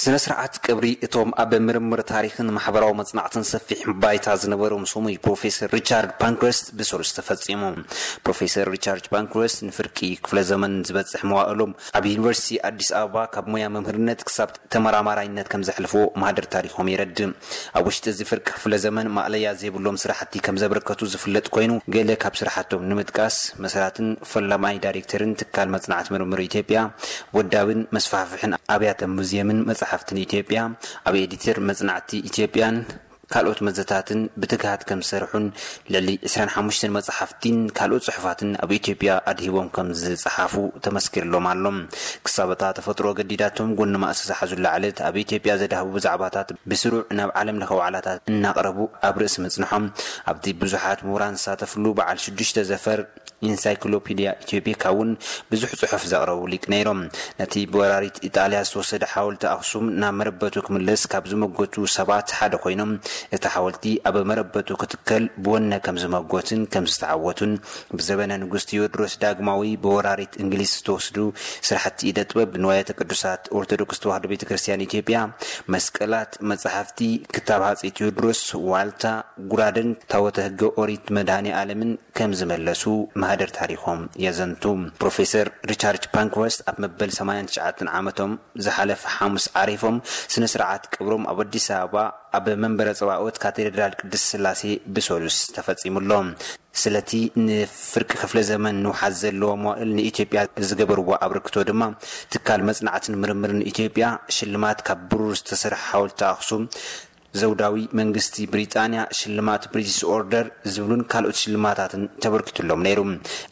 ስነ ስርዓት ቀብሪ እቶም ኣብ ምርምር ታሪኽን ማሕበራዊ መጽናዕትን ሰፊሕ ባይታ ዝነበሮም ስሙይ ፕሮፌሰር ሪቻርድ ፓንክረስት ብሰሉስ ተፈጺሙ። ፕሮፌሰር ሪቻርድ ፓንክረስት ንፍርቂ ክፍለ ዘመን ዝበጽሕ መዋእሎም ኣብ ዩኒቨርሲቲ ኣዲስ ኣበባ ካብ ሞያ መምህርነት ክሳብ ተመራማራይነት ከም ዘሕልፎ ማህደር ታሪኾም የረድእ። ኣብ ውሽጢ እዚ ፍርቂ ክፍለ ዘመን ማእለያ ዘይብሎም ስራሕቲ ከም ዘበርከቱ ዝፍለጥ ኮይኑ፣ ገለ ካብ ስራሕቶም ንምጥቃስ መስራትን ፈላማይ ዳይሬክተርን ትካል መጽናዕት ምርምር ኢትዮጵያ፣ ወዳብን መስፋሕፍሕን ኣብያተ ሙዝየምን መጽሓፍትን ኢትዮጵያ፣ ኣብ ኤዲተር መጽናዕቲ ኢትዮጵያን ካልኦት መዘታትን ብትግሃት ከም ዝሰርሑን ልዕሊ ዕስራን ሓሙሽተን መጽሓፍቲን ካልኦት ጽሑፋትን ኣብ ኢትዮጵያ ኣድሂቦም ከም ዝጸሓፉ ተመስኪርሎም ኣሎ። ክሳብ እታ ተፈጥሮ ገዲዳቶም ጎኒ ማእሲ ዝሓዙላ ዕለት ኣብ ኢትዮጵያ ዘዳህቡ ዛዕባታት ብስሩዕ ናብ ዓለም ለኸ ዋዕላታት እናቕረቡ ኣብ ርእሲ ምጽንሖም ኣብቲ ብዙሓት ምሁራን ዝሳተፍሉ በዓል ሽዱሽተ ዘፈር ኢንሳይክሎፒድያ ኢትዮጵካ እውን ብዙሕ ጽሑፍ ዘቕረቡ ሊቅ ነይሮም። ነቲ ብወራሪት ኢጣልያ ዝተወሰደ ሓወልቲ ኣኽሱም ናብ መረበቱ ክምለስ ካብ ዝመጎቱ ሰባት ሓደ ኮይኖም፣ እቲ ሓወልቲ ኣብ መረበቱ ክትከል ብወነ ከም ዝመጎትን ከም ዝተዓወቱን፣ ብዘበነ ንጉስ ቴዎድሮስ ዳግማዊ ብወራሪት እንግሊዝ ዝተወስዱ ስራሕቲ ኢደ ጥበብ፣ ንዋያተ ቅዱሳት ኦርቶዶክስ ተዋህዶ ቤተ ክርስቲያን ኢትዮጵያ፣ መስቀላት፣ መጻሕፍቲ፣ ክታብ ሃጸይ ቴዎድሮስ፣ ዋልታ፣ ጉራደን ታቦተ ሕገ ኦሪት መድኃኔ ዓለምን ከም ዝመለሱ ማህደር ታሪኾም የዘንቱ። ፕሮፌሰር ሪቻርድ ፓንክረስት ኣብ መበል ሰማንያን ትሽዓተን ዓመቶም ዝሓለፈ ሓሙስ ዓሪፎም፣ ስነ ስርዓት ቀብሮም ኣብ ኣዲስ ኣበባ ኣብ መንበረ ጸባኦት ካቴድራል ቅድስት ስላሴ ብሰሉስ ተፈጺሙሎ። ስለቲ ንፍርቂ ክፍለ ዘመን ንውሓት ዘለዎ መዋእል ንኢትዮጵያ ዝገበርዎ ኣበርክቶ ድማ ትካል መጽናዕትን ምርምርን ኢትዮጵያ ሽልማት ካብ ብሩር ዝተሰርሐ ሓወልቲ ኣኽሱም፣ ዘውዳዊ መንግስቲ ብሪጣንያ ሽልማት ብሪቲሽ ኦርደር ዝብሉን ካልኦት ሽልማታትን ተበርኪቱሎም ነይሩ።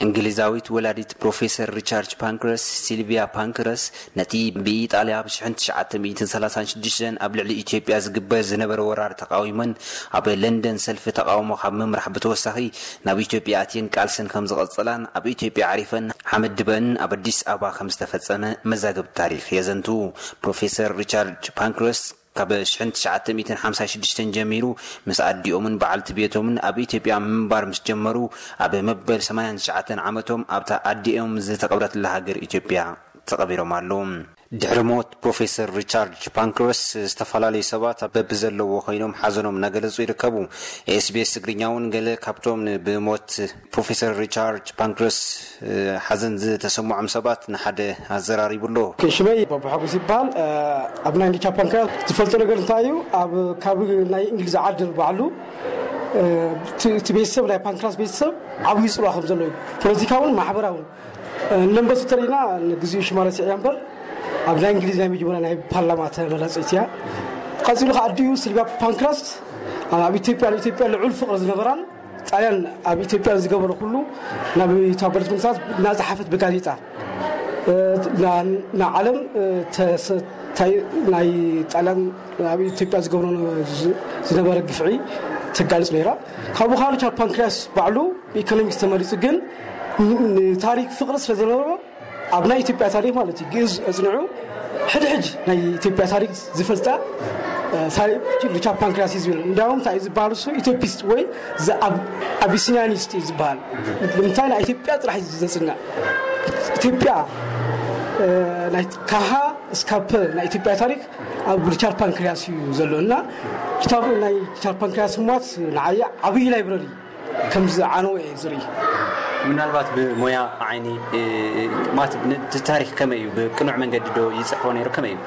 እንግሊዛዊት ወላዲት ፕሮፌሰር ሪቻርድ ፓንክረስ፣ ሲልቪያ ፓንክረስ፣ ነቲ ብኢጣልያ ኣብ ሽሕን ትሽዓተ ሚእትን ሰላሳን ሽዱሽተን ኣብ ልዕሊ ኢትዮጵያ ዝግበር ዝነበረ ወራር ተቃዊመን ኣብ ለንደን ሰልፊ ተቃውሞ ካብ ምምራሕ ብተወሳኺ ናብ ኢትዮጵያ ኣትየን ቃልሰን ከም ዝቐጸላን ኣብ ኢትዮጵያ ዓሪፈን ሓመድ ድበን ኣብ ኣዲስ ኣበባ ከም ዝተፈጸመ መዛግብቲ ታሪኽ የዘንቱ። ፕሮፌሰር ሪቻርድ ፓንክረስ ካብ ሽሕን ትሽዓተ ሚእትን ሓምሳን ሽዱሽተን ጀሚሩ ምስ ኣዲኦምን በዓልቲ ቤቶምን ኣብ ኢትዮጵያ ምንባር ምስ ጀመሩ፣ ኣብ መበል ሰማንያን ትሽዓተን ዓመቶም ኣብታ ኣዲኦም ዝተቐብረትላ ሃገር ኢትዮጵያ ተቐቢሮም ኣለዉ። ድሕሪ ሞት ፕሮፌሰር ሪቻርድ ፓንክረስ፣ ዝተፈላለዩ ሰባት በብዘለዎ ኮይኖም ሓዘኖም እናገለጹ ይርከቡ። ኤስቢኤስ ትግርኛ እውን ገለ ካብቶም ብሞት ፕሮፌሰር ሪቻርድ ፓንክረስ ሓዘን ዝተሰምዖም ሰባት ንሓደ ኣዘራሪቡ ኣሎ። ሽመይ ባቡ ሓጎስ ይበሃል። ኣብ ናይ ሪቻርድ ፓንክረስ ዝፈልጦ ነገር እንታይ እዩ? ኣብ ካብ ናይ እንግሊዝ ዓዲ ባዕሉ እቲ ቤተሰብ፣ ናይ ፓንክረስ ቤተሰብ ዓብዪ ጽልዋ ከም ዘሎ እዩ። ፖለቲካውን ማሕበራውን። ንመንበሱ ተሪእና ንግዚኡ ሽማ ረሲዐ እያ እምበር፣ ኣብ ናይ እንግሊዝ ናይ መጀመርያ ናይ ፓርላማ ተመራጺት እያ። ቀጺሉ ከዓ ኣዲኡ ሲልቪያ ፓንክረስት ኣብ ኢትዮጵያ፣ ንኢትዮጵያ ልዑል ፍቕሪ ዝነበራን ጣልያን ኣብ ኢትዮጵያ ዝገበሮ ኩሉ ናብ ተባበሩት መንግስታት እናጸሓፈት ብጋዜጣ፣ እ፣ ና-፣ ንዓለም፣ እ፣ ተሰ-፣ ታይ-፣ ናይ ጣልያን ኣብ ኢትዮጵያ ዝገብሮ ዝ-፣ ዝነበረ ግፍዒ ተጋልጽ ነይራ። ካብኡ ከዓ ሪቻርድ ፓንክሪያስ ባዕሉ ብኢኮኖሚክስ ተመሪጹ፣ ግን ን-፣ ንታሪክ ፍቕሪ ስለ ዝነበሮ ኣብ ናይ ኢትዮጵያ ታሪክ ማለት እዩ፣ ግእዝ ኣጽኒዑ ሕድሕድ ናይ ኢትዮጵያ ታሪክ ዝፈልጣ፣ እ፣ ታሪክ ሪቻርድ ፓንክሪያስ እዩ ዝብል። እንዲያውም እንታይ እዩ ዝበሃል? እሱ ኢትዮጵስት ወይ ዘ-፣ ኣብ-፣ ኣቢሲኒያኒስት እዩ ዝበሃል። ንምንታይ? ናይ ኢትዮጵያ ጥራሕ እዩ ዘጽንዕ። ኢትዮጵያ፣ እ፣ ናይ ካሃ እስካብ ፐ ናይ ኢትዮጵያ ታሪክ ኣብ ሪቻርድ ፓንክሪያስ እዩ ዘሎ። እና ሪቻርድ፣ ናይ ሪቻርድ ፓንክሪያስ ሞት ንዓየ ዓብዪ ላይብረሪ ከም ዝዓነወ እየ ዝርኢ። ምናልባት ብሞያ ዓይኒ፣ እ፣ ማለት ን-፣ እቲ ታሪክ ከመይ እዩ? ብቅኑዕ መንገዲ ዶ ይጽሕፎ ነይሩ? ከመይ እዩ?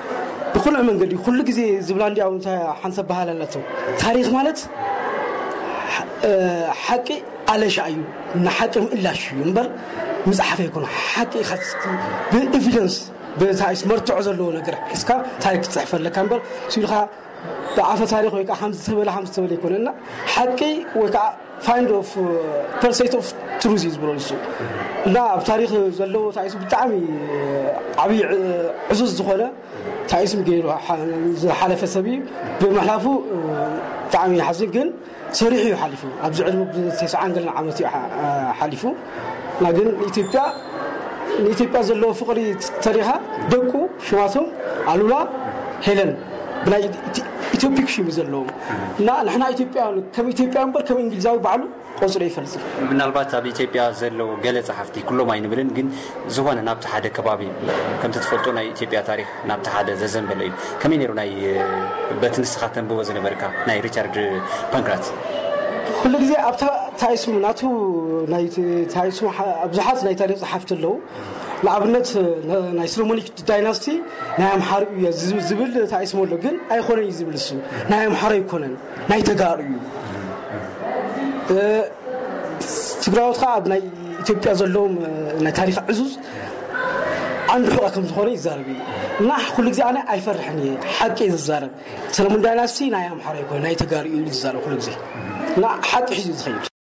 ብቅኑዕ መንገዲ። ኩሉ ግዜ ዝብላ እንዲያው እንታይ ሓንሳብ በሃል ኣለቶ። ታሪክ ማለት፣ እ፣ ሓቂ ኣለሻ እዩ፣ ንሓቂ ምእላሽ እዩ እምበር ምጽሓፍ ኣይኮነ። ሓቂ ኢኻ ብኤቪደንስ፣ ብታይስ መርትዖ ዘለዎ ነገር ሒዝካ ታሪክ ክትጽሕፍ ኣለካ እምበር፣ ሲልካ ብኣፈ ታሪክ ወይ ከዓ ከምዚ ተበለ፣ ከምዚ ተበለ ኣይኮነ። እና ሓቂ ወይ ከዓ ፋይንድ ኦፍ፣ ፐርሰይት ኦፍ ትሩዝ እዩ ዝበሎ ንሱ። እና ኣብ ታሪክ ዘለዎ ታይሱ ብጣዕሚ ዓብዪ፣ ዕ-፣ ዕዙዝ ዝኾነ ታይስም ገይሩ ሓ-፣ ዝሓለፈ ሰብ እዩ። ብምሕላፉ፣ እ፣ ብጣዕሚ ይሓዝን፣ ግን ሰሪሑ እዩ ሓሊፉ። ኣብዚ ዕድመ ብተስዓን ገለን ዓመት እዩ ሓ-፣ ሓሊፉ። እና ግን ኢትዮጵያ፣ ንኢትዮጵያ ዘለዎ ፍቕሪ ተሪኻ ደቁ ሽማቶም ኣሉላ፣ ሄለን ብናይ ኢት-፣ ኢትዮፒክ ሽም ዘለዎም እና ንሕና ኢትዮጵያ ከም ኢትዮጵያ እምበር ከም እንግሊዛዊ ባዕሉ ቆፅሮ ይፈልጽ። ምናልባት ኣብ ኢትዮጵያ ዘለዉ ገለ ጸሓፍቲ ኩሎም ኣይንብልን፣ ግን ዝኾነ ናብቲ ሓደ ከባቢ ከምቲ ትፈልጦ ናይ ኢትዮጵያ ታሪኽ ናብቲ ሓደ ዘዘንበለ እዩ። ከመይ ነይሩ ናይ በቲ ንስኻ ተንብቦ ዝነበርካ ናይ ሪቻርድ ፓንክራት? ኩሉ ግዜ ኣብታ ታይስሙ ናቱ ናይ ታይስሙ ብዙሓት ናይ ታሪኽ ጸሓፍቲ ኣለዉ። ንኣብነት ናይ ሶሎሞኒክ ዳይናስቲ ናይ ኣምሓሩ እዩ ዝብል ታይስሙ ኣሎ፣ ግን ኣይኮነን እዩ ዝብል እሱ ናይ ኣምሓሩ ኣይኮነን፣ ናይ ተጋሩ እዩ። ትግራዎት ከዓ ኣብ ናይ ኢትዮጵያ ዘለዎም ናይ ታሪክ ዕዙዝ ዓንዲ ሕቆ ከም ዝኾነ ይዛረብ እዩ። እና ኩሉ ግዜ ኣነ ኣይፈርሕን እየ፣ ሓቂ እየ ዝዛረብ። ሰለሙን ዳይናስቲ ናይ ኣምሓራ ይኮነ ናይ ተጋሩ እዩ ዝዛረብ ኩሉ ግዜ፣ እና ሓቂ ሒዙ እዩ ዝኸይድ።